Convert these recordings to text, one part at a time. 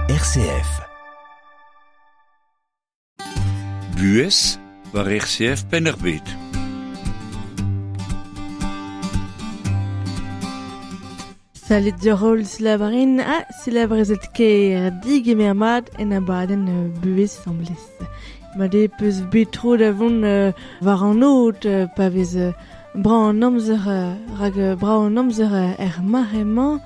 RCF. Buhez war RCF Penn-ar-Bed. Salut diorol silavarin ha silavrezet ker digemer mat en abadenn buhez samblez. Ma de peus bet tro da vont war an aod pa vez brav an amzer rak brav an amzer er mare-mañ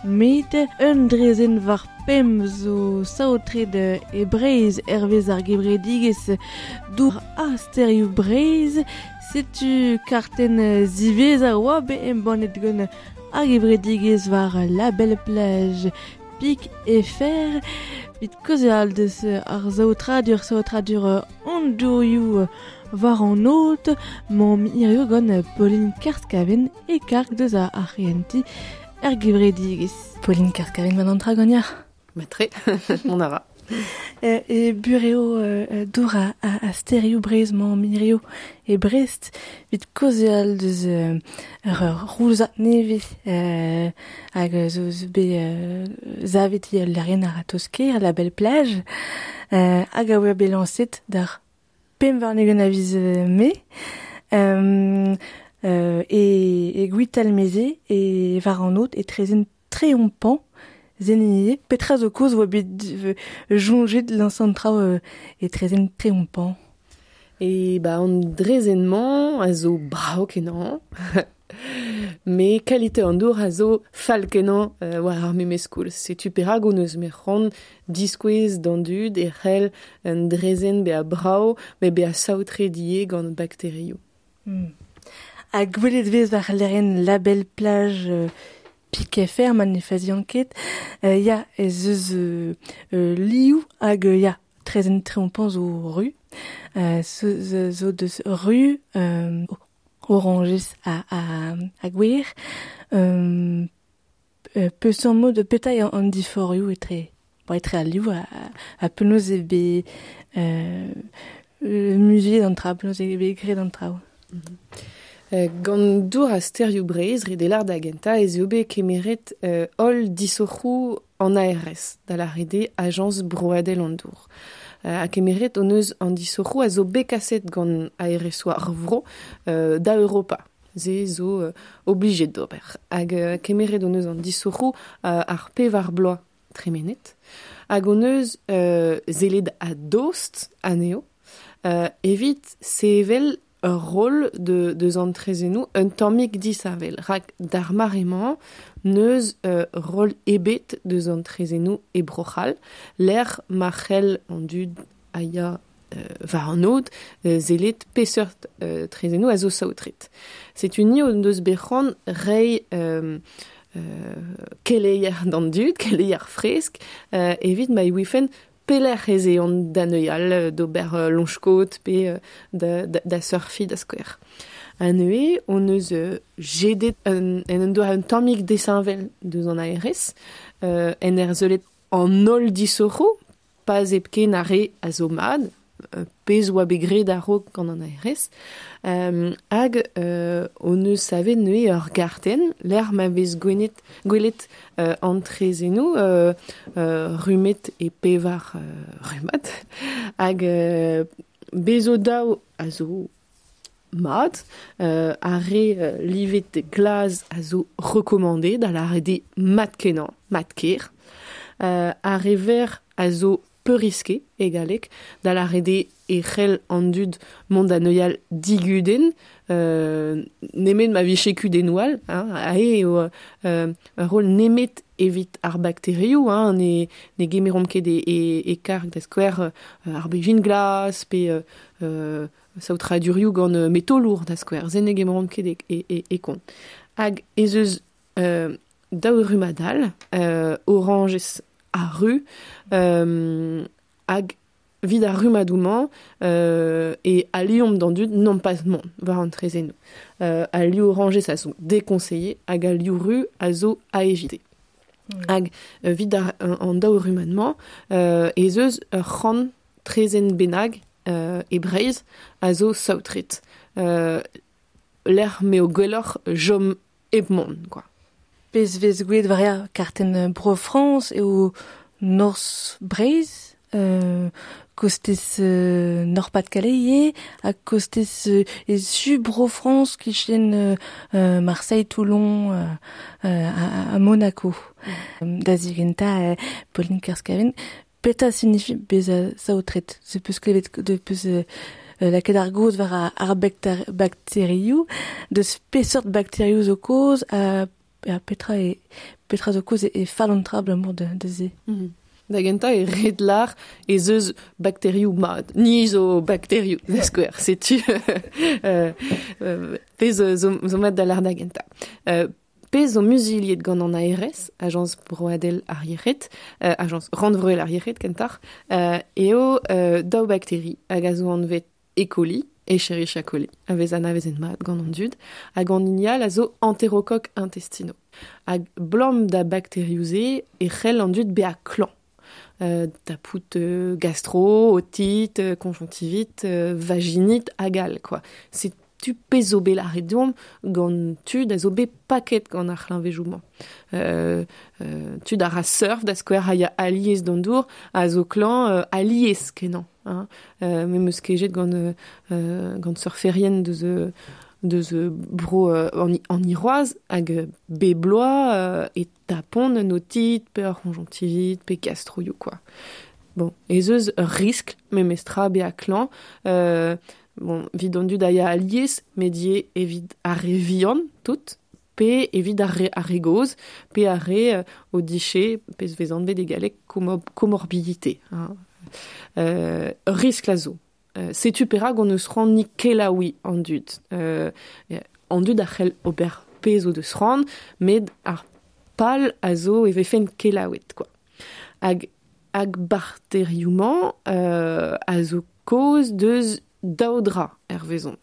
met un drezenn war pemp zo saotret e Breizh hervez ar gevredigezh dour ha stêrioù Breizh. Setu kartenn ziwezhañ oa bet embannet gant ar gevredigezh war La Belle Plage Pik FR. Vit kaozeal deus ar saotradur saotradur an dourioù war an aod 'maomp hiziv gant Pauline Kerskaven e karg deus ar c'hehentiñ er gevredigezh. Pauline Kerskaven, mat an tra ganeoc'h? Matre, mont a ra. E burev dour ha stêrioù Breizh 'mañ hiziv e Brest evit kaozeal deus ur rouzad nevez hag zo bet savet ul lec'hienn a-ratozh-kaer, La Belle Plage, hag a oa bet lañset d'ar 25 a viz Mae. E Gwitalmeze e war an aod e trezen Treompan zen Petra zo kaoz oa bet soñjet lañsañ an traoù e trezen Treompan? E ba an drezenn-mañ a zo brav-kenañ. Met kalite an dour a zo fall-kenañ war ar memes koulz. Setu perak hon eus bet c'hoant diskouez d'an dud e c'hell un drezenn bezañ brav met bezañ saotret ivez gant bakterioù. Ha gwelet 'vez war lec'hienn La Belle Plage Pik FR ma ne fazian ket. Ya, ez eus liv hag ya, trezenn Treompan zo ru. Zo deus ru orañjez ha gwer. Peseurt mod petra eo an diforc'hioù etre bon, etre al liv ha penaos eo bet muzuliet an traoù, penaos eo bet graet an traoù. Gant dour ha stêrioù Breizh, ret eo lâr da gentañ ez eo bet kemeret holl disoc'hoù an ARS, da lâret eo Ajañs Broadel an Dour. Ha kemeret hon eus an disoc'hoù a zo bet kaset gant ARS-où ar vro da Europa. Se zo oblijet d'ober. Hag kemeret hon eus an disoc'hoù ar pevar bloaz tremenet. Hag hon eus sellet a-dost anezho evit sevel ur roll deus an trezennoù un tammig disheñvel. Rak d'ar mare-mañ n'eus roll ebet deus an trezennoù e Bro-C'hall, lec'h ma c'hell an dud a ya war an aod sellet peseurt trezennoù a zo saotret. Setu ni hon deus bet c'hoant reiñ keleier d'an dud, keleier fresk, evit ma ouifent pelec'h ez eont da neuial d'ober loñch-kaot pe da surfiñ da skouer. Ha neuze hon eus jedet en un doare un tammig disheñvel deus an ARS, en ur sellet an holl disoc'hoù, pas hepken ar re a zo mat, pezh oa bet graet a-raok gant an ARS, hag hon eus savet neuze ur gartenn lec'h ma vez gwelet an trezennoù rummet e pevar rummad, hag bez zo daou a zo mat, ar re livet glas a zo rekommandet, da lâret eo mat-kenañ, mat-ker, ar re ver a zo peurriske e galleg, da lâret eo e c'hell an dud mont da neuial digudenn, nemet ma vije kudennoù all, hein, aze eo ur roll nemet evit ar bakterioù, hein, ne gemeromp ket e karg da skouer ar bezhin glas pe saotradurioù gant metolour da skouer, se ne gemeromp ket e kont. Hag ez eus daou rummad all, orañjez ha ru, hag evit ar rummadoù-mañ e aliomp d'an dud non pas mont war an trezennoù. Al liv orañjez a zo déconseillé hag al liv ru a zo à éviter. Hag evit an daou rummad-mañ ez eus ur c'hant trezenn bennak e Breizh a zo saotret. Lec'h m'eo gwelloc'h chom hep mont, quoi. Pezh vez gwelet war kartenn Bro-Frañs eo Norzh Breizh, kostez Nord-Pas-de-Calais ivez, ha kostez e su Bro-Frañs kichen Marseille, Toulon ha Monaco. Da zigentañ Pauline Kerscaven, petra signifie bezañ saotret? Se peus klevet de peus lakaet ar gaoz war ar bakterioù, deus peseurt bakterioù zo kaoz ha petra e petra zo kaoz e fall an tra abalamour da se. Da gentañ e ret lar ez eus bakterioù mat. Ni zo bakterioù, da skouer, setu pezh zo mat da lar da gentañ. Pezh zo muzuliet gant an ARS, Ajañs Broadel ar Yec'hed, Ajañs Rannvroel ar Yec'hed kentoc'h, eo daou bakteri hag a zo anvet E. coli, Escherichia coli, a vez anavezet mat gant an dud, hag an hini all a zo enterokok intestino. Hag 'blam da bakterioù-se e c'hell an dud bezañ klañv. Tapout gastro, otite, conjonctivite, vaginite hag all quoi. Setu pezh zo bet lâret deomp gant tud a zo bet paket gant ar c'hleñvejoù-mañ. Tud a ra surf da skouer a ya alies d'an dour a zo klañv alies kenañ. Hein. Me 'm eus kejet gant gant surferien deus deus bro an Iroaz hag bep bloaz e tapont un otite pe ur c'honjonctivite pe gastroioù quoi. Bon, ez eus ur riskl memestra bezañ klañv. Bon, evit an dud a ya alies, met ivez evit ar re vihan tout, pe evit ar re, ar re gozh, pe ar re o dije, pezh vez anvet e galleg comorbidité. Hein. Ur riskl a zo. Setu perak hon eus c'hoant ni kelaouiñ an dud. An dud a c'hell ober pezh o deus c'hoant, met ar pal a zo e vefent kelaouet quoi. Hag hag bakterioù-mañ a zo kaoz deus daou dra hervezon.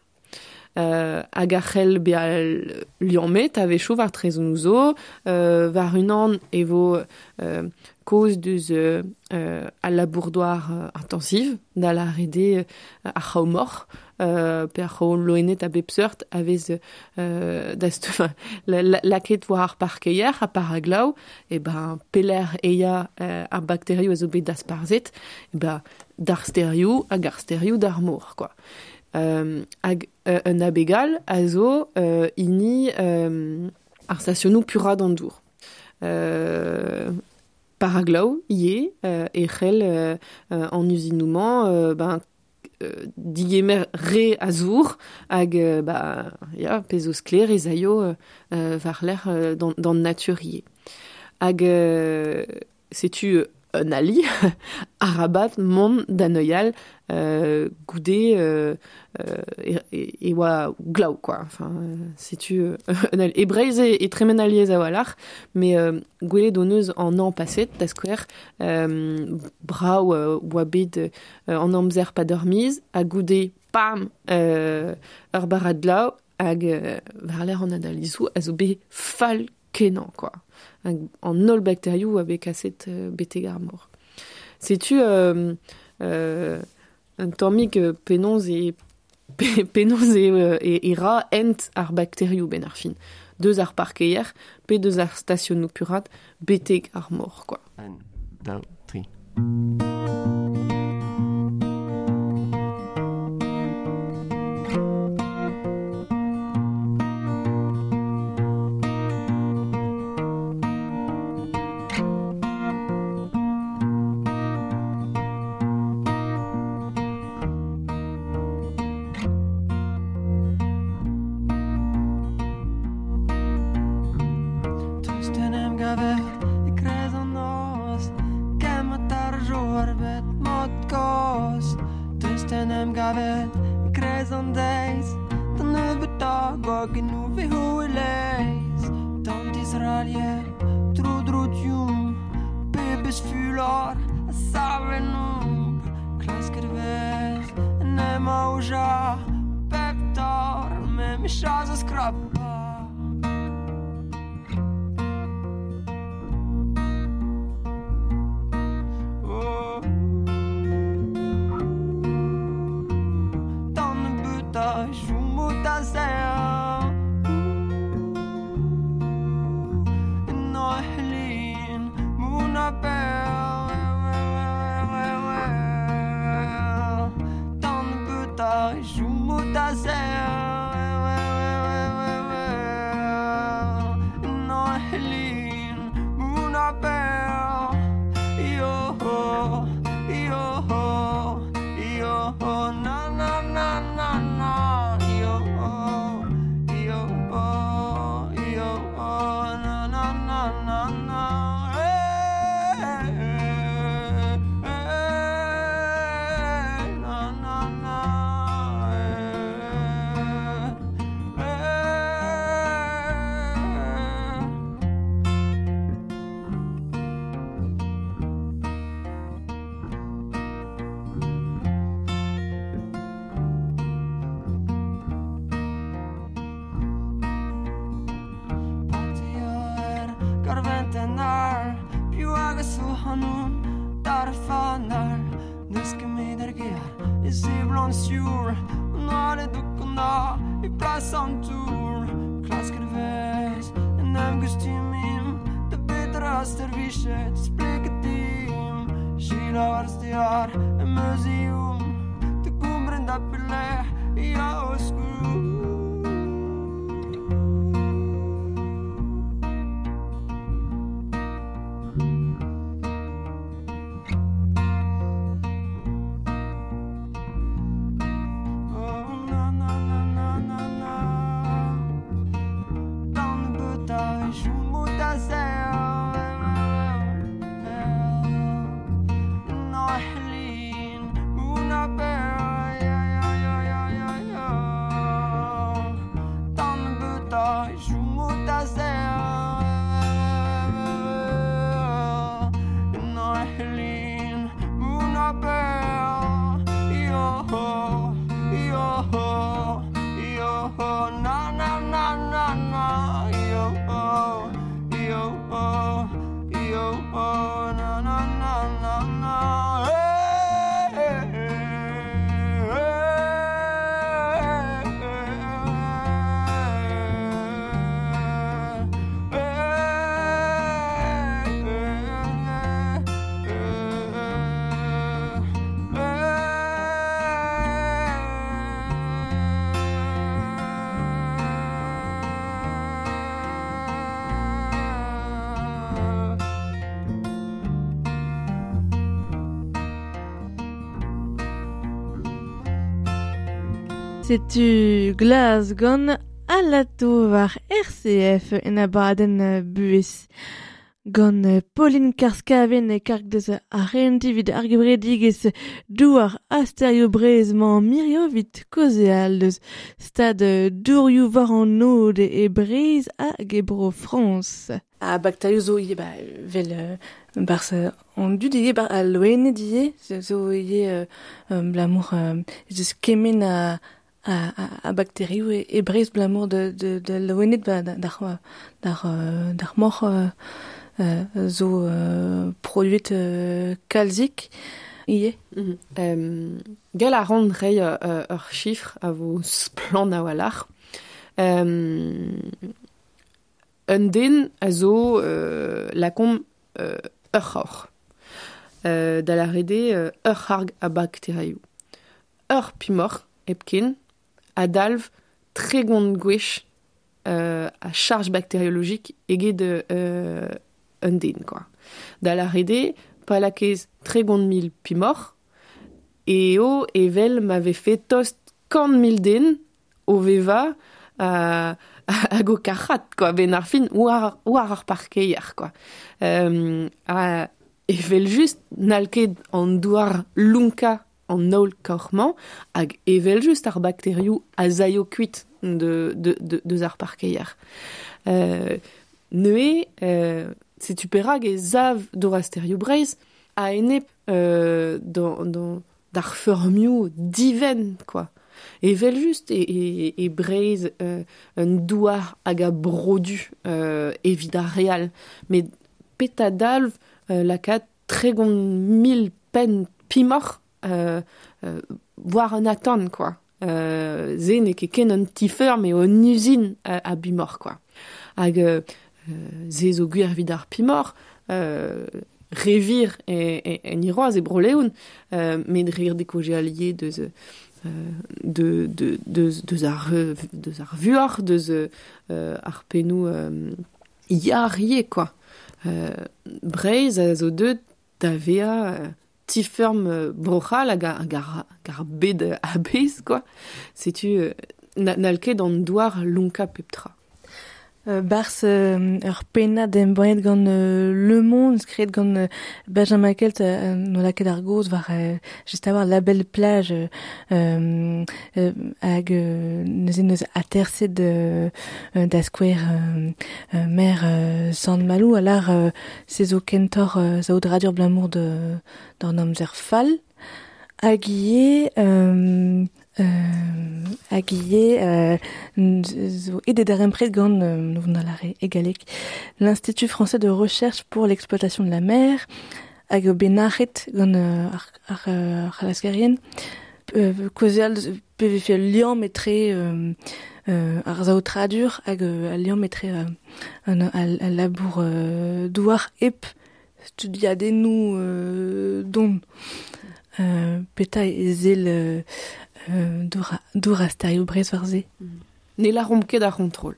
Hag a c'hell bezañ liammet a-wechoù war traezennoù zo, war unan e vo kaoz deus al labour-douar intensiv, da lâret eo ar c'hraou-moc'h pe ar c'hraou loened a bep seurt a vez lakaet war ar parkeier ha pa ra glav, e ben pelec'h e ya ar bakterioù a zo bet dasparzhet, e ben d'ar stêrioù hag ar stêrioù d'ar mor quoi. Hag un abeg all a zo hini ar stasionoù puraat an dour. Pa ra glav ivez e c'hell an uzinoù-mañ ben digemer re a zour hag ba ya pezh zo sklaer ez aio war-lerc'h d'an natur ivez. Hag setu un ali, arabat mont da neuial goude e oa glav quoi. Enfin, setu un ali. E Breizh e tremen alies a-walc'h, met gwelet hon eus an hañv paset, da skouer, brav oa bet an amzer pa dormiz, ha goude, pam, ur barrad glav, hag war-lerc'h an analizoù a zo bet fall kenañ quoi. Hag an holl bakterioù a vez kaset betek ar mor. Setu un tammig penaos e penaos e ra hent ar bakterioù benn ar fin. Deus ar parkeier pe deus ar stasionoù puraat betek ar mor quoi. Un, daou, tri. Tost en em gaver e-kreiz an noz, kemmet ar joar bet mod kozh. Tost en em gaver e-kreiz an deiz, da nebeutañ gwagennoù 'vezo e-leizh. D'an dizralier tro-dro deomp, pebezh fulor a sav ennomp. Klasket 'vez en em aozañ pep taol, memes a skrapañ. Oh. D'an nebeutañ chomo da serr. En hoc'h lin, mont a-bell. ac'hanoun Dar fanal N'eus ket met ar gear E seblant sioul An oaled o kanañ E plas an toull Klasket vez En em gustumimp Da betra servichet Spleket dimp Selaou ar stear Em eus ezhomm Da gompren da pelec'h Ya o skoulm Setu glas gant alato war RCF en abadenn buhez. Gant Pauline Karskaven e karg deus ar renti vid ar gevredigezh douar asterioù Breizh mañ mirio vit kaozeal deus stad dourioù war an aod e Breizh hag e bro Frañs. Ha bakterioù zo ivez ba vel barzh an dud ivez bar al loened ivez zo ivez blamour eus kement a bakterioù e Breizh blamour de loened ba d'ar moc'h zo produet kalzik ivez. Gall a ran reiñ ur chifr a vo splann a-walc'h. Un den a zo lakaomp ur c'horr. Da lâret eo ur c'harg a bakterioù. Ur pimoc'h hepken a dalv 30 gwech a charge bakteriologique eget un den, quoi. Da lâret eo, pa lakaez 30 000 pimoc'h, eo evel ma vefe tost 100 000 den o vevañ hag o kac'hat, quoi, ben ar fin war ar parkeier, quoi. A evel just n'hall ket an douar lonkañ an holl kaoc'h-mañ hag evel just ar bakterioù a zaio kuit deus ar parkeier. Neuze, setu perak e sav dour-asterioù Breizh a-enep d'ar feurmioù divent, quoi. Evel just e Breizh un douar hag a brodu evit ar re all. Met petra dalv lakaat 30 000 penn pimoc'h war un atant, quoi. Se n'eo ket ken un ti-feurm eo un uzin a bimoc'h, quoi. Hag se zo gwir evit ar pimoc'h, revir en Iroaz e Bro-Leon, met rir dekoje allié deus deus ar vuoc'h, deus ar pennoù yar ivez, quoi. Breizh a zo deuet da vezañ ti-feurm Bro-C'hall hag ar bed a-bezh, quoi. Setu n'hall ket an douar lonkañ pep tra. Barzh ur pennad embannet gant Le Monde, skrivet gant Benjamin Kelt, no lakaet ar gaoz war just a-walc'h La Belle Plage hag neuze neus aterset da skouer maer Sant-Maloù a lar se zo kentoc'h saotradur blamour d'an amzer fall. Hag ivez zo aet darempred gant e galleg l'Institut français de recherche pour l'exploitation de la mer hag eo bet nac'het gant ar c'halaskerien. Kaozeal pe vefe ul liamm etre ar saotradur hag al liamm etre al labour douar hep studiadennoù don. Petra e sell dour ha sterioù Breizh war se. Ne laromp ket ar c'hontrol.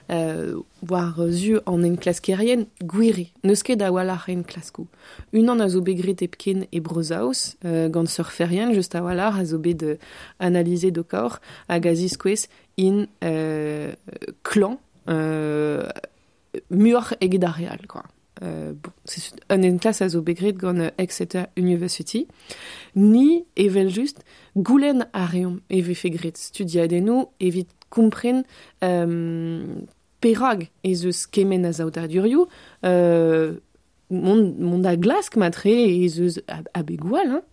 War zu an enklaskerien gwiri, n'eus ket a-walc'h enklaskoù. Unan a zo bet graet hepken e Bro-Saoz, gant surferien, just a-walc'h, a zo bet analizet o kaoc'h, hag a ziskouez int klañv muioc'h eget ar re all, quoi. Bon, c'est un enklask a zo bet graet gant Exeter University. Ni, evel-just, goulenn a reomp e vefe graet studiadennoù evit kompren perak ez eus kement a saotradurioù, mont da glask matre ez eus abegoù all, hein,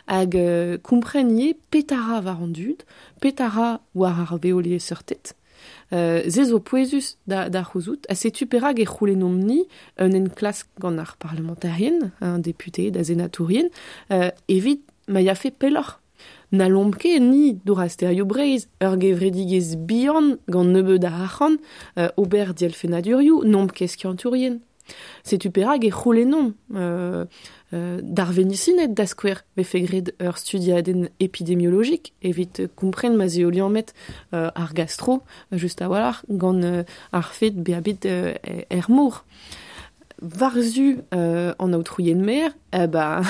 hag kompren ivez petra war an dud, petra war ar veoliesseurted. Se zo pouezus da c'houzout, ha setu perak e c'houlennomp-ni un enklask gant ar parlementarien, un député, da senatourien, evit ma yafe pelloc'h. N'hallomp ket ni dour ar sterioù Breizh, ur gevredigezh bihan gant nebeut a arc'hant, ober dielfennadurioù, n'omp ket skiantourien. Setu perak e c'houlennomp d'ar venisined da skouer vefe graet ur studiadenn epidemiologik evit kompren ma 'z eo liammet ar gastro, just a-walc'h, gant ar fed bezañ bet er mor. War-zu an aotrouien mer, ba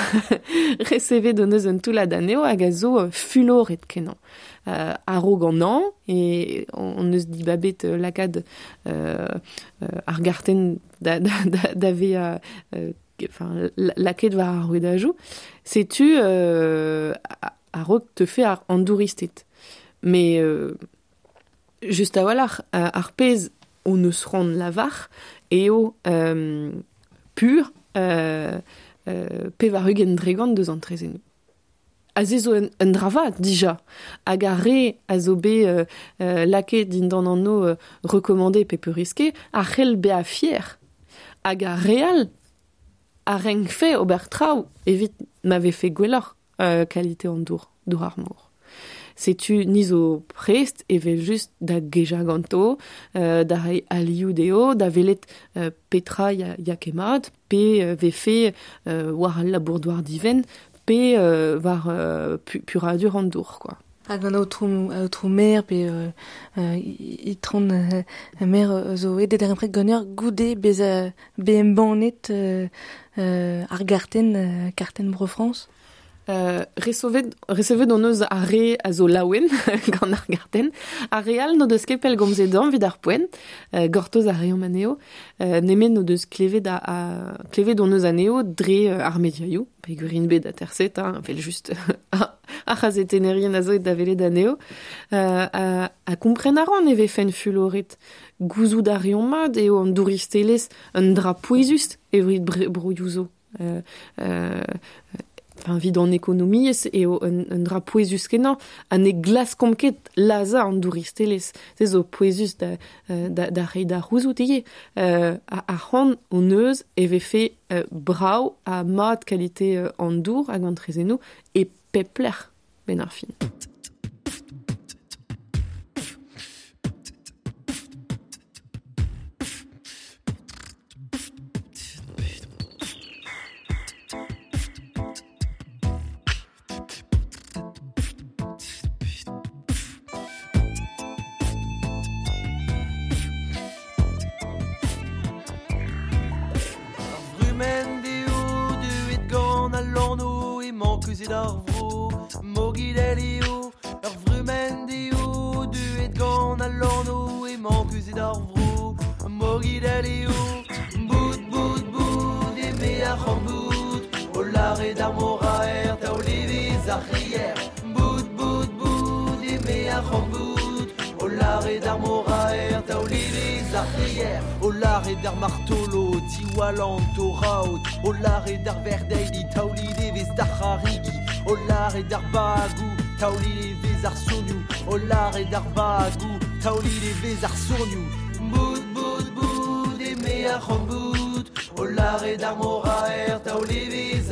resevet hon eus un toullad anezho hag a zo fuloret kenañ. A-raok an hañv, e hon eus dibabet lakaat ar gartenn da vezañ enfin, lakaet war ar rouedajoù. Setu a-raok teufe an douristed. Mais just a-walc'h, ar pezh hon eus c'hoant lavar eo pur 80% deus an traezhennoù. Ha se zo un dra vat dija. Hag ar re a zo bet lakaet dindan anv recommandé pe peurriské a c'hell bezañ fier. Hag ar re all a renkfe ober traoù evit ma vefe gwelloc'h kalite an dour, dour ar mor. Setu ni zo prest evel-just da gejañ ganto, da reiñ alioù dezho, da welet petra ya ket mat, pe vefe war al labour-douar divent, pe war puradur an dour, quoi. Hag an aotrou maire pe itron maire zo aet da darempred ganeoc'h goude bezañ bet embannet ar gartenn, kartenn Bro-Frañs? Resevet hon eus ar re a zo laouen gant ar gartenn. Ar re all n'o deus ket pellgomzet deomp evit ar poent. Gortoz a reomp anezho. Nemet n'o deus klevet klevet hon eus anezho dre ar mediaioù. Peogwir int bet aterset, hein, evel-just ar c'hazetennerien a zo da welet anezho. Ha kompren a ran e vefen fuloret. Gouzout a reomp mat eo an douristelezh un dra pouezus evit broioù zo. Enfin, evit an ekonomiezh eo un dra pouezus kenañ, ha ne glaskomp ket lazhañ an douristelezh. Se zo pouezus da reiñ da c'houzout ivez. Ar c'hoant hon eus e vefe brav ha mat kalite an dour hag an traezhennoù e pep lec'h benn ar fin.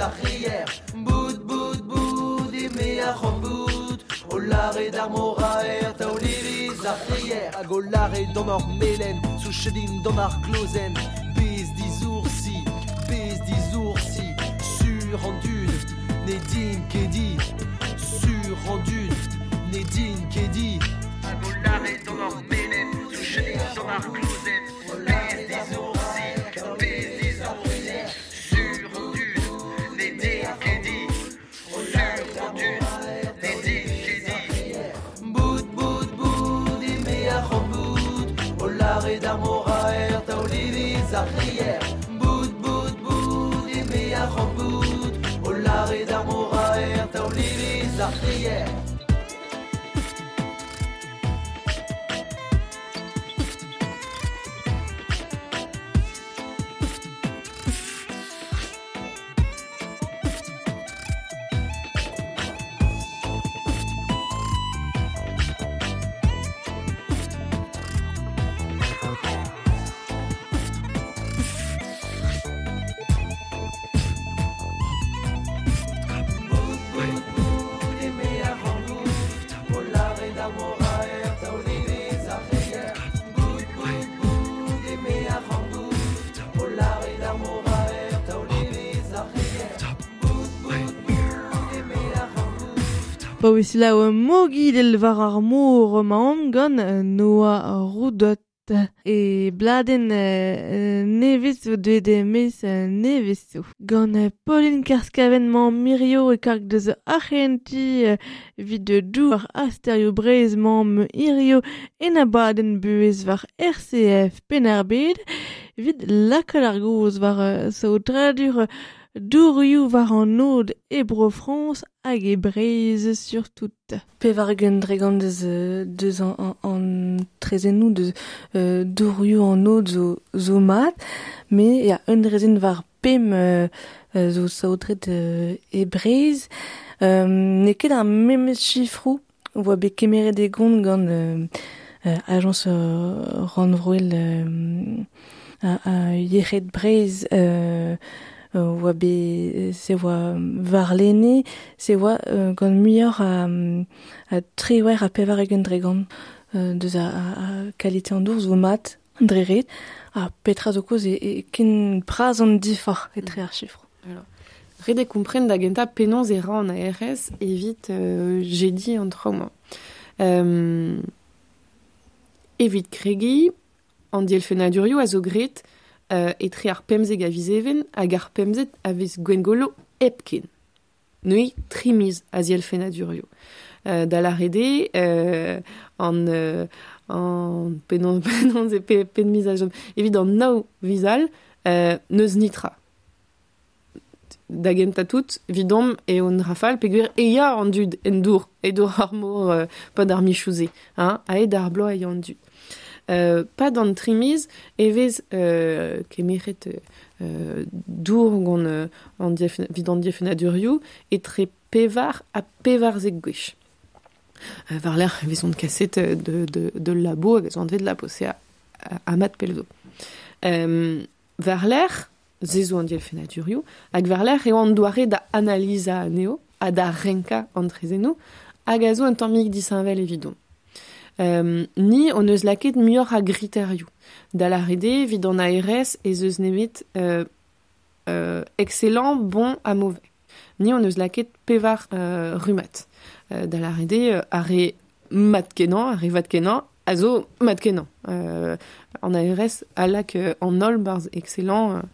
ar rier. Bout, bout, bout, eme ar c'hambout, o lare d'ar moraer, taoliviz ar rier. Hag o lare d'an ar melen, souchedin d'an ar glozen, bez dizoursi, bez dizoursi, sur an dud, ne din ket di, sur an dud, ne din ket di. Hag o lare d'an ar melen, souchedin d'an ar glozen, bez dizoursi, bez dizoursi, sur an dud, ne din ket di, sur an dud, ne din ket di. Bout, bout, bout, eme ar c'hambout, o lare d'ar moraer, taoliviz ar rier. Bout, bout, bout, eme ar c'hambout, o lare d'ar moraer, taoliviz ar rier. Pa oe selaou mogidel war ar mor maomp gant Noah Roudot. E bladen nevez zo deuet e-maez nevez zo. Gant Pauline Karskaven mañ mirio e karg deus arc'henti evit douar asterio Breizh mañ hirio en abadenn buhez war RCF Penn-ar-Bed evit lakaat ar gaoz war saotradur dourioù war an aod e Bro-Frañs hag e Breizh surtout. Pevar ugent dregont deus an trezennoù deus dourioù an aod zo mat, me ya un drezenn war pemp zo saotret e Breizh. N'eo ket ar memes chifroù oa bet kemeret e gont gant agence rannvroel a yec'hed Breizh oa bet se oa varlene, se oa gant muioc'h a triwec'h ha pevar ugent dregont deus a kalite an dour zo mat dre ret, ha petra zo koz e ken bras an diforc'h etre ar chifr. Alors, ret eo kompren da gentañ penaos e ra an ARS evit jediñ an traoù-mañ. Evit kregiñ, an dielfennadurioù a zo graet etre ar pemzek a viz Even hag ar pemzek a viz Gwengolo hepken. Neuze tri miz a zielfennadurioù. Da lâret eo an penaos e pen miz a chom. Evit an nav viz all, n'eus nitra. Da gentañ tout, evidomp eo an rafal peogwir e ya an dud en dour, e dour ar mor pad ar michouze, hein, aet ar bloaz e ya an dud. Pad an tri miz e vez kemeret dour gant an evit an dielfennadurioù etre pevar ha pevarzek gwech. War-lerc'h e vezont kaset de labo hag ez oant vet labo, se a mat pell zo. War-lerc'h, se zo an dielfennadurioù, hag war-lerc'h eo an doare da analizañ anezho ha da renkañ an trezennoù hag a zo un tammig disheñvel evidon. Ni hon eus lakaet muioc'h a griterioù. Da lâret eo evit an ARS ez eus nemet excellent, bon ha mauvais. Ni hon eus lakaet pevar rummad. Da lâret eo ar re mat kenañ, ar re vat kenañ, a zo mat kenañ. An ARS a lak an holl barzh excellent,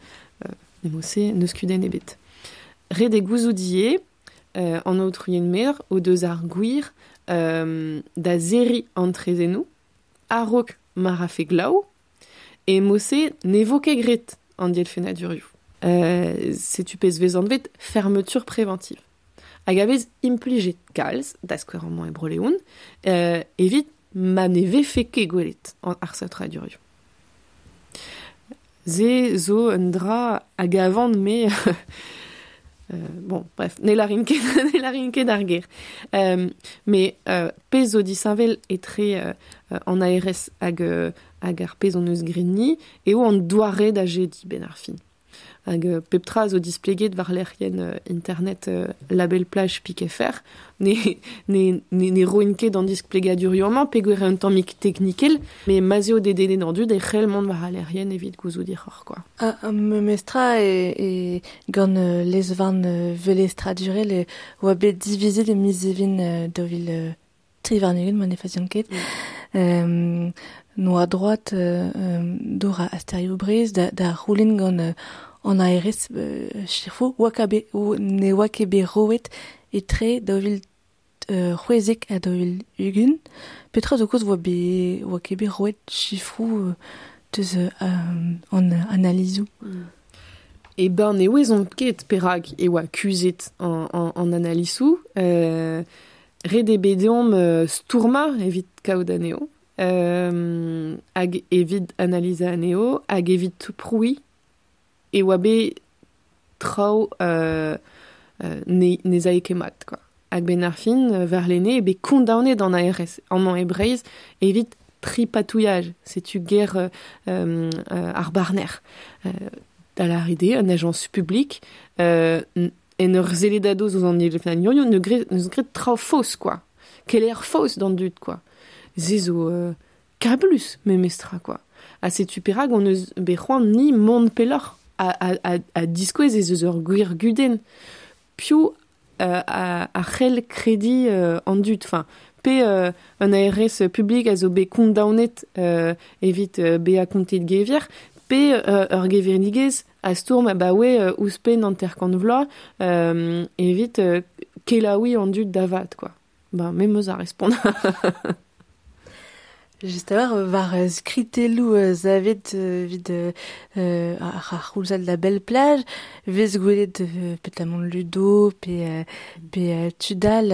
nemose n'eus kudenn ebet. Ret eo gouzout ivez, an aotrounien mer o deus ar gwir da zerriñ an trezennoù a-raok ma rafe glav e mose ne vo ket graet an dielfennadurioù. Setu pezh vez anvet fermeture préventive. Hag a vez implijet kalz, da skouer amañ e Bro-Leon, evit ma ne vefe ket gwelet an ar saotradurioù. Se zo un dra hag avant me bon, bref, ne larin ket, ne larin ket ar ger. Me pezh zo disheñvel etre an ARS hag ar pezh hon eus graet ni eo an doare da jediñ ben ar fin. Hag pep tra zo displeget war lec'hienn internet label plage pik FR. Ne roin ket an displegadurioù-mañ peogwir eo un tammig teknikel, met ma'z eo dedennet an dud e c'hell mont war al lec'hienn evit gouzout hiroc'h, quoi. Ah, memestra e gant lez-varn velestradurel e oa bet divizet e miz Even 2023, ma ne fazian ket. Noa droit d'ober a asterioù Breizh da c'houlenn gant an ARS chifo oa ket ne oa ket bet roet etre 2016 ha 2020. Petra zo kaoz oa ket bet roet chifroù deus an analizoù? E ben ne ouezomp ket perak e oa kuzhet an analizoù. Ret eo bet deomp stourmañ evit kaout anezho. Hag evit analizañ anezho, hag evit prouiñ e oa bet traoù ne zae ket mat, quoi. Hag ben ar fin, warlene, eo bet kondaonet an ARS amañ e Breizh evit tripatouillage. Setu ger ar barner. Da lâret eo, un ajañs publik, en ur sellet a-doz ouzh an elefnanioù, ne neus graet traoù faos, quoi. Keleier faos d'an dud, quoi. Se zo kablus, memestra, quoi. Ha setu perak hon eus bet c'hoant ni mont pelloc'h a diskouez ez eus ur gwir gudenn. Piv a c'hell krediñ an dud, enfin, pe un ARS publik a zo bet kondaonet evit bezañ kontet gevier, pe ur gevredigezh a stourm abaoe ouzhpenn 50 vloaz evit kelaouiñ an dud da vat, quoi. Ben, me 'meus ar respont. Just a-walc'h war skritelloù savet evit ar c'houlzad La Belle Plage, vez gwelet petamant Ludo pe tud all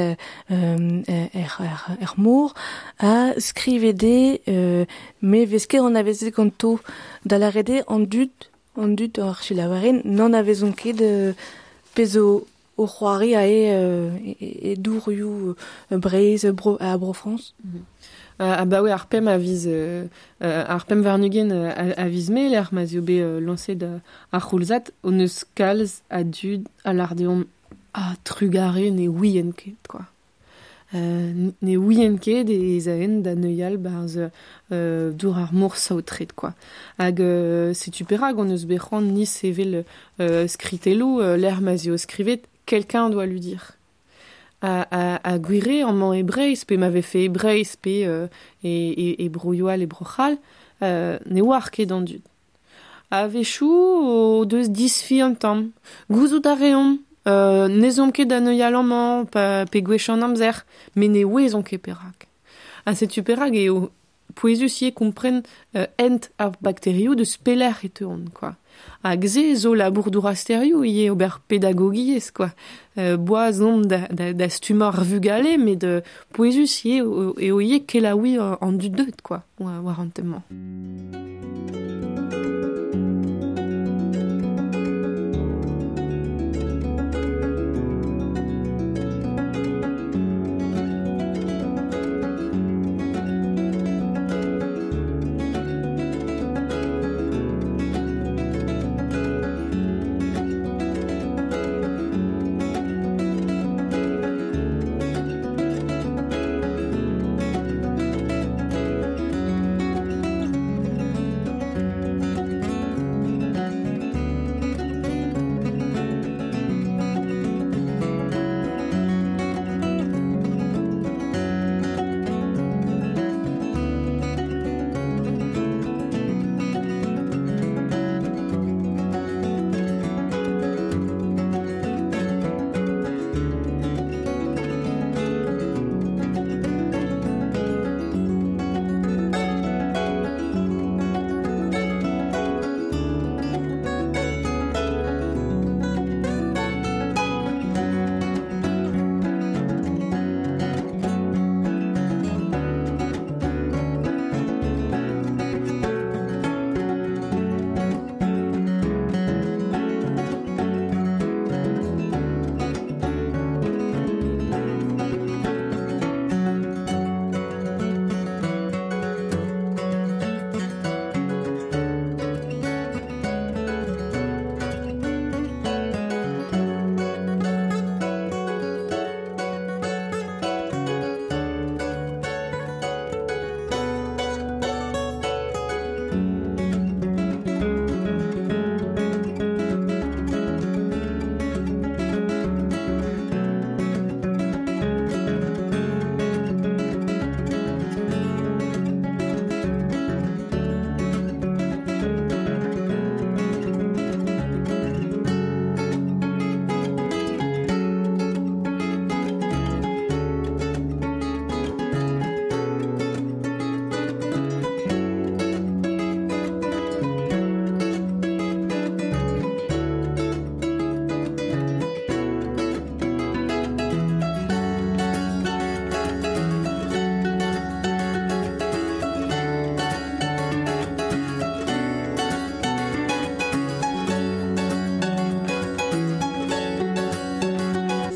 er mor, ha skrivet eo me vez ket anavezet ganto da lâret eo an dud ar selaouerien n'anavezont ket pezh o c'hoari ae e dourioù Breizh ha Bro-Frañs. Abaoe ar pemp a viz ar pemp warn-ugent a viz Mae lec'h ma'z eo bet lañset ar c'houlzad, hon eus kalz a dud a lâr deomp ah trugarez ne ouient ket, quoi. Ne ouient ket ez aent da neuial barzh dour ar mor saotret, quoi. Hag setu perak hon eus bet c'hoant ni sevel skritelloù lec'h ma'z eo skrivet quelqu'un doit lui dire. A gwir eo amañ e Breizh, pe ma vefe e Breizh, pe e Broioù all, e Bro-C'hall, ne oar ket an dud. A-wechoù o deus disfi un tamm. Gouzout a reomp, n'ez omp ket da neuial amañ, pe gwech an amzer, met ne ouezomp ket perak. Ha setu perak eo pouezus ivez kompren hent ar bakterioù deus pelec'h e teuont, quoi. Hag se zo labour dourasterioù ivez ober pedagogiezh, quoi. Boaz omp da stummañ ar vugale, met pouezus ivez eo ivez kelaouiñ an dud deuet, quoi, war an tem-mañ.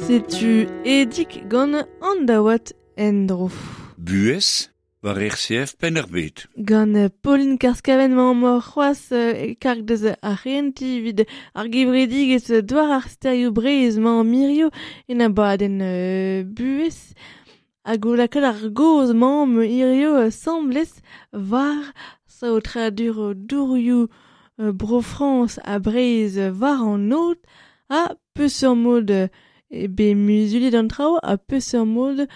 Setu edik gant an daouat endro. Buez war RCF Pennerbet. Gant Pauline Karskaven mañ mor c'hoazh e karg deus ar c'henti vid ar gevredigezh doar ar sterioù Breizh mañ mirio en abadenn buez. Hag o lakaat ar goz mañ hirio semblez war saotradur dourioù Bro-Frañs ha Breizh war an aod ha peseurt mod be muzuliet an traoù ha peseurt mod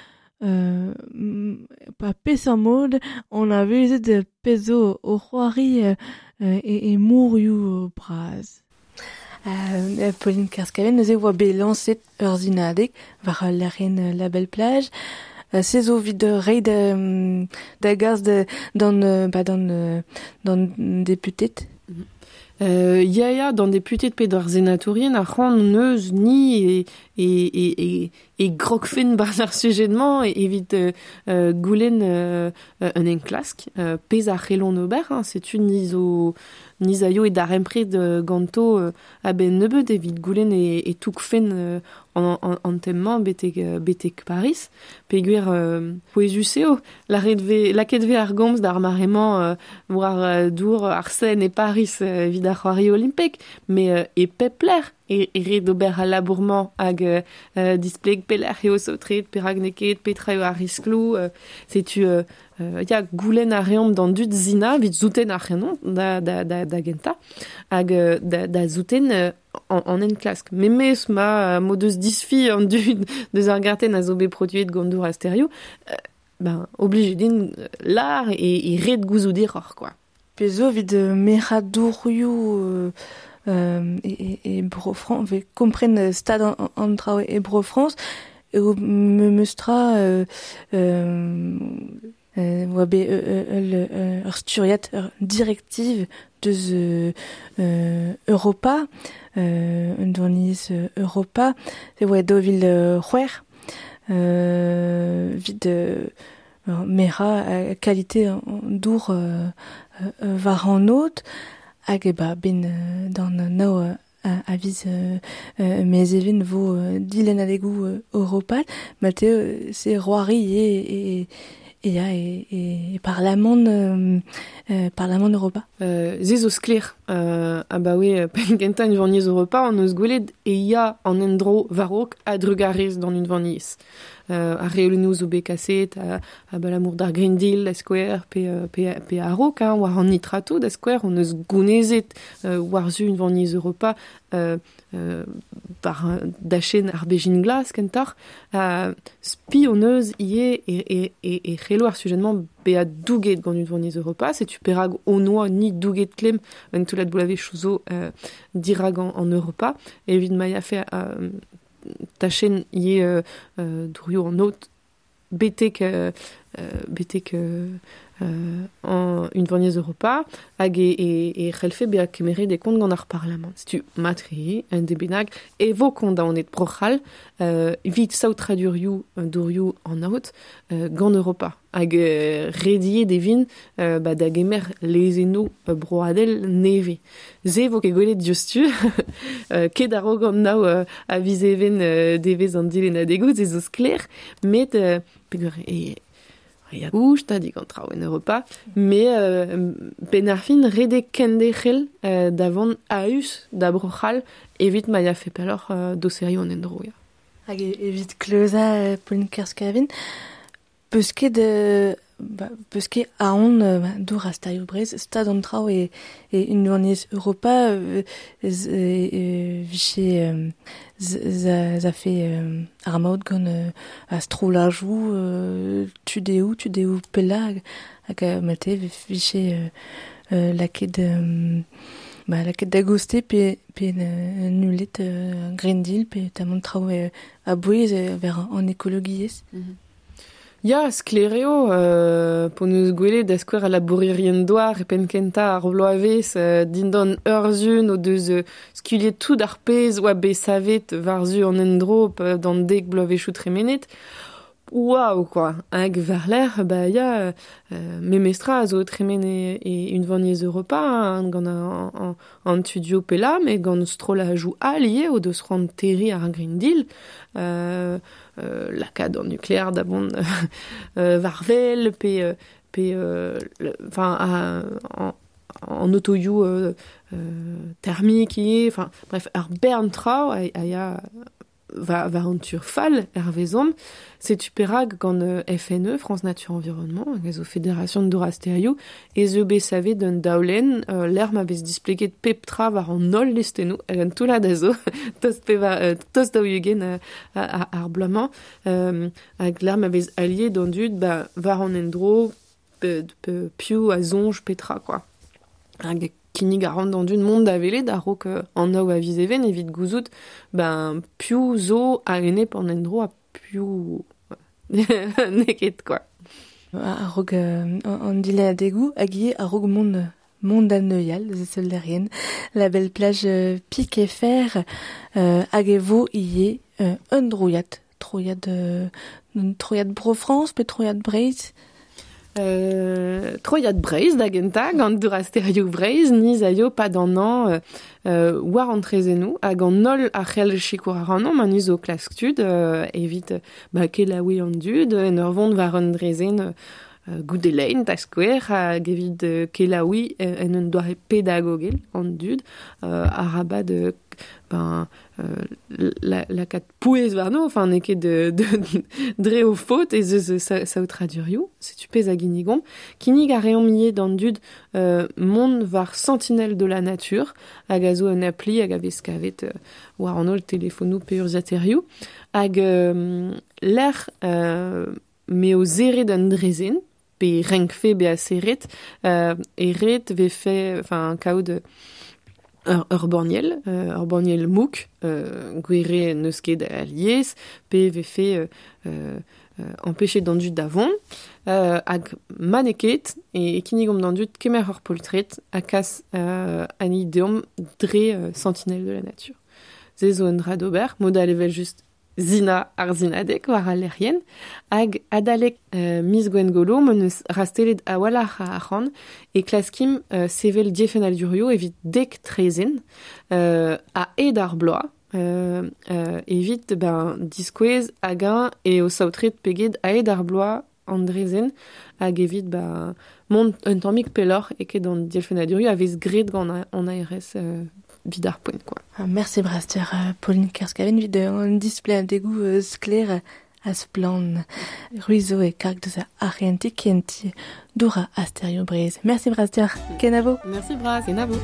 pa peseurt mod on a vezet pezh zo o c'hoari e mourioù bras. Pauline Kerskaven neuze oa bet lañset ur zinadeg war al lec'hienn La Belle Plage. Se zo evit reiñ da gas d'an ba d'an deputet. Ya ya, d'an deputet pe d'ar senatourien ar c'hoant neus ni e grogfen barzh ar sujet-mañ evit goulenn un enklask pezh ar c'hellon ober, hein, setu ni zo ni zaio e darempred ganto a-benn nebeut evit goulenn e toukfen an tem-mañ betek Paris. Peogwir pouezus eo, lakaet ve ar gomz d'ar mare-mañ war dour ar Seine e Paris evit ar c'hoari olimpek, met e pep lec'h e ret d'ober al labour-mañ hag displeg pelec'h eo saotret, perak n'eo ket, petra eo ar riskloù, setu ya goulenn a reomp d'an dud zina evit zouten ar c'henon da gentañ hag da zouten an enklask. Memes ma mod deus disfi an dud deus ar gartenn a zo bet produet gant dour asterioù, ben obligé din lar e ret gouzout error quoi. Pezh zo evit merañ dourioù e Bro-Frañs, ve kompren stad an traoù e Bro-Frañs, eo memes tra oa bet ur sturiad, ur directive deus Europa, un dourniezh Europa, e oa daou vil c'hwec'h, evit merañ kalite an dour war an aod, hag e ba ben d'an nao a viz mezevin vo dilennadegoù europat, malte se roari e ya e parlament parlament Europa. Ze zo sklaer abaoe penn kentañ unvaniezh Europa an eus gwelet e ya an endro war-raok a-drugarez d'an unvaniezh. Ar reolennoù zo bet kaset abalamour d'ar Green Deal da skouer pe a-raok, hein, war an nitrato da skouer on eus gounezet war-zu unvaniezh Europa par dachenn ar bezhin glas kentoc'h. Spi on eus ivez e c'hello ar sujet-mañ bezañ douget gant unvaniezh Europa, setu perak on oa ni douget klemm un toullad bloavezhioù zo dirak an Europa, evit ma yafe tachenn ivez dourioù an aod betek an unvaniezh Europa hag e c'hellfe bezañ kemeret e kont gant ar Parlamant. Setu matre un debennak e vo kondaonet Bro-C'hall evit saotradurioù dourioù an aod gant Europa hag rediet e vint ba da gemer lezennoù broadel nevez. Se vo ket gwelet diouzhtu, ket a-raok an nao a viz even devezh an dilennadegoù, se zo sklaer, met peogwir e ya gouch ta digant traoù en Europa, met benn ar fin redek kenderc'hel da vont a-us da Bro-C'hall evit ma yafe pelloc'h doserioù an endro. Ya. Hag evit kleuzañ Pauline Kerskavin, peus ket aon dour a sterioù Breizh, stad an traoù e unvaniezh Europa viche za fe ar maout gant a strollajoù tudeoù pellañ hag mate viche lakaet lakaet da goste pe nullet Green Deal pe tamant traoù a-bouez ver an ekologiezh. Ya, sklaer eo, p'hon eus gwelet da skouer a labourerien douar e penn kentañ ar bloavezh dindan urzhun o deus skuilhet tout ar pezh oa bet savet war-zu an endro d'an dek bloavezhioù tremenet. Waouh, quoi. Hag war-lerc'h, ba ya, memestra a zo tremen e unvaniezh Europa, hein, gant an tudio pella, met gant strollajoù all ivez o deus c'hoant terriñ ar Green Deal, lakaat an nuklear da vont war-wel, pe, enfin, an otoioù thermique ivez, enfin, bref, ar bern traoù a ya war an tur fall er vezomp, setu perak gant FNE, France Nature Environnement, hag a zo Fédération Dour-ha-Stêrioù, ez eo bet savet un daolenn lec'h ma vez displeget pep tra war an holl listennoù, hag an toullad a zo tost tost daou-ugent ar bloaz-mañ, hag lec'h ma vez aliet d'an dud ba, war an endro piv a soñj petra, quoi. Hag kinnig a ran d'an dud mont da welet a-raok an nav a viz even evit gouzout ben piv zo a-enep an endro ha piv n'eo ket, quoi. A-raok an dilennadegoù hag ivez a-raok mont da neuial, eus seul La belle plage Pic et Fer hag e vo ivez un droiad, troiad Bro-Frañs pe troiad Breizh. Troiad Breizh da gentañ, gant Dour-ha-Stêrioù Breizh, ni zaio pad an an war an trezennoù hag an holl a c'hell sikour ac'hanomp, ha ni zo klask tud evit ba, kelaouiñ an dud, en ur vont war un drezenn goude lein da skouer, hag evit kelaouiñ en un doare pedagogel an dud, arabat ben, lakaat pouez warno, enfin n'eo ket dre o faot ez eus saotradurioù, setu pezh a ginnigomp. Kinnig a reomp ivez d'an dud mont war Sentinelle de la Nature, hag a zo un appli hag a vez kavet war an holl telefonoù pe urzhiataerioù, hag lec'h m'eo serret un drezenn, pe renkfe bezañ serret, e ret vefe, enfin, kaout ur banniel mouk, gwere n'eus ket alies, pe vefe empêchet d'an dud da vont, hag ma n'eo ket, e kinnigomp d'an dud kemer ur poltred ha kas ani deomp dre Sentinelle de la Nature. Se zo un dra d'ober, mod all evel just Zina ar zinadeg war al lec'hienn, hag adalek miz Gwengolo m'hon eus rastelet a-walc'h a arc'hant e klaskim sevel diefennadurioù evit dek trezenn a-hed ar bloaz evit ben, diskouez hag-eñ eo saotret peget a-hed ar bloaz an drezenn hag evit ben, mont un tammig pelloc'h e ket an dielfennadurioù a vez graet gant an ARS vid ar poent, quoi. Ah, merci Braster, Pauline Kerskaven, vid an display degoù sklaer a splann. Ruizo e karg deus ar kenti Dour-ha-Stêrioù Breizh. Merci Braster, kenavo. Merci Bras, kenavo.